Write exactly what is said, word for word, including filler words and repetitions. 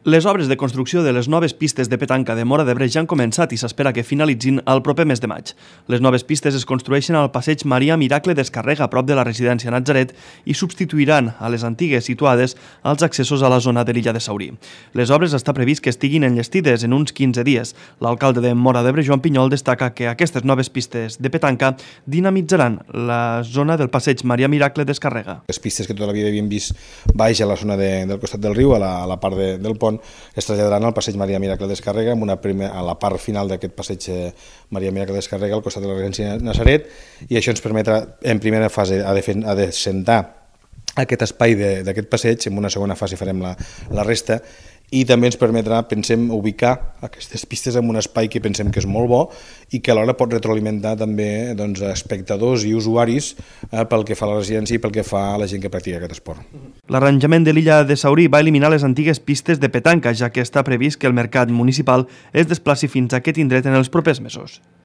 Les obres de construcció de les noves pistes de petanca de Móra d'Ebre ja han començat i s'espera que finalitzin el proper mes de maig. Les noves pistes es construeixen al passeig Maria Miracle d'Escarrega, a prop de la residència Natzaret, i substituiran a les antigues situades als accessos a la zona de l'illa de Saurí. Les obres està previst que estiguin enllestides en uns quinze dies. L'alcalde de Móra d'Ebre, Joan Pinyol, destaca que aquestes noves pistes de petanca dinamitzaran la zona del passeig Maria Miracle d'Escarrega. Les pistes que tota la vida havíem vist baix a la zona de, del costat del riu, a la, a la part de, del pont, es traslladaran al passeig Maria Miracle d'Escarrega, amb una primer, a la part final d'aquest passeig Maria Miracle d'Escarrega, al costat de la residència Natzaret, i això ens permetrà, en primera fase, a descentar aquest espai d'aquest passeig, en una segona fase farem la, la resta, i també ens permetrà, pensem, ubicar aquestes pistes en un espai que pensem que és molt bo i que alhora pot retroalimentar també doncs, espectadors i usuaris eh, pel que fa a la residència i pel que fa a la gent que practica aquest esport. L'arranjament de l'illa de Saurí va eliminar les antigues pistes de petanca, ja que està previst que el mercat municipal es desplaci fins a aquest indret en els propers mesos.